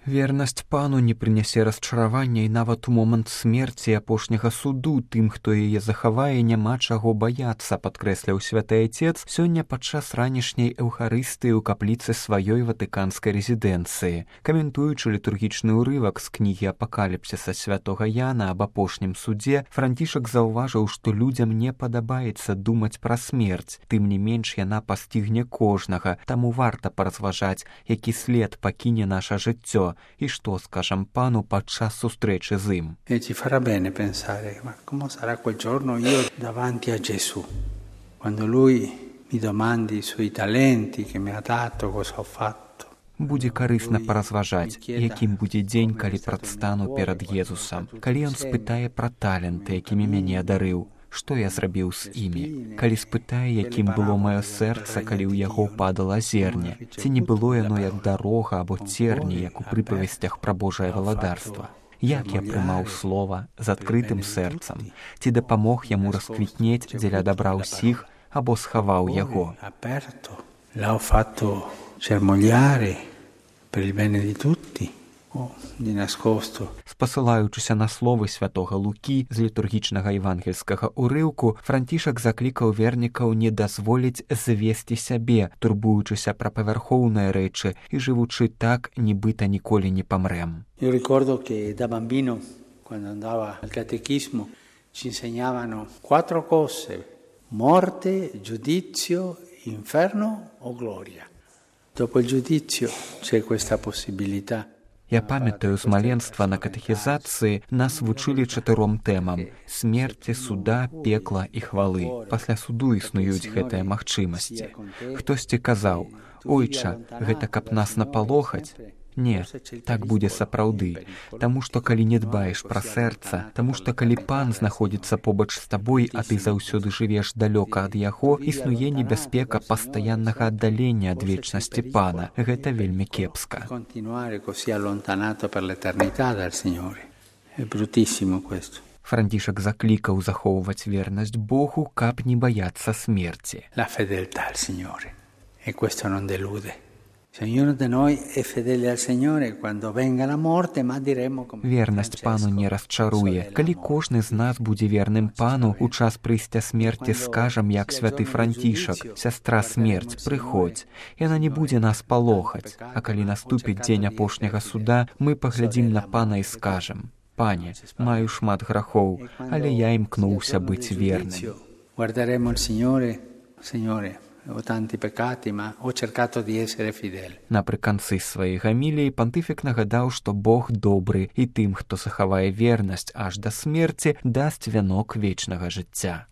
Вернасць пану не прынясе расчаравання і нават у момант смерці апошняга суду тым, хто яе захавае, няма чаго баяцца, падкрэсляў святы айцец сёння падчас ранішняй эўхарыстыі ў капліцы сваёй ватыканскай рэзідэнцыі. Каментуючы літургічны ўрывак з кнігі апакаліпсіса святога Яна аб апошнім судзе, Францішак заўважыў, што людзям не падабаецца думаць пра смерць, тым не менш яна пастігне кожнага, таму варта паразважаць, які след пакіне наша жыццё і што скажам пану падчас сустрэчы з ім. E ci farà bene pensare, ma come sarà quel giorno io davanti a Gesù, quando lui mi domandi i suoi talenti che mi ha dato, cosa ho fatto. Будзе карысна паразважаць, якім будзе дзень, калі прадстану перад Езусам, калі ён спытае пра таленты, якімі мяне адарыў, што я зрабіў з імі, калі спытае, якім было маё сэрца, калі ў яго падала зерне, ці не было яно як дарога або церні, як у прыпавесцях пра Божае валадарства. Як я прымаў слова з адкрытым сэрцам, ці дапамог яму расквітнець дзеля дабра ўсіх або схаваў яго. L'ho fatto germogliare per il bene di tutti. Di nascosto. Спасылаючыся на словы святога Лукі з літургічнага евангельскага ўрыўку, Францішак заклікаў вернікаў не дазволіць звесці сябе, турбуючыся пра павярхоўныя рэчы і жывучы так, нібыта ніколі не памрэм. Io ricordo che da bambino, quando andava al catechismo, ci insegnavano 4 cose: morte, giudizio, inferno o gloria. Dopo il giudizio c'è questa possibilità. Я памятаю, з маленства на катэхізацыі нас вучылі 4 тэмам: смерці, суда, пекла і хвалы. Пасля суду існуюць гэтыя магчымасці. Хтосьці казаў: «Ойча, гэта каб нас напалохаць». Не, так будзе сапраўды, таму што калі не дбаеш пра сэрца, таму што калі пан знаходзіцца побач з табой, а ты заўсёды жывеш далёка ад яго, існуе небяспека пастаяннага аддалення ад вечнасці пана. Гэта вельмі кепска. Францішак заклікаў захоўваць вернасць Богу, каб не баяцца смерці. La fedeltà al Signore, e questo non delude. Ognuno di noi è fedele al Signore quando venga la morte, ma diremo come Вернасць пану не расчаруе. Калі кожны з нас будзе верным пану, у час прыйсця смерці скажам, як святы Францішак: «Сястра смерць, прыходзь». Яна не будзе нас палохаць. А калі наступіць дзень апошняга суда, мы паглядзім на пана і скажам: «Пане, маю шмат грахоў, але я імкнуўся быць верным». Guarderemo il Signore, Signore. Ho tanti peccati, ma ho cercato di essere fedele. Напрыканцы сваёй гаміліі пантыфік нагадаў, што Бог добры і тым, хто захавае вернасць аж да смерці, дасць вянок вечнага жыцця.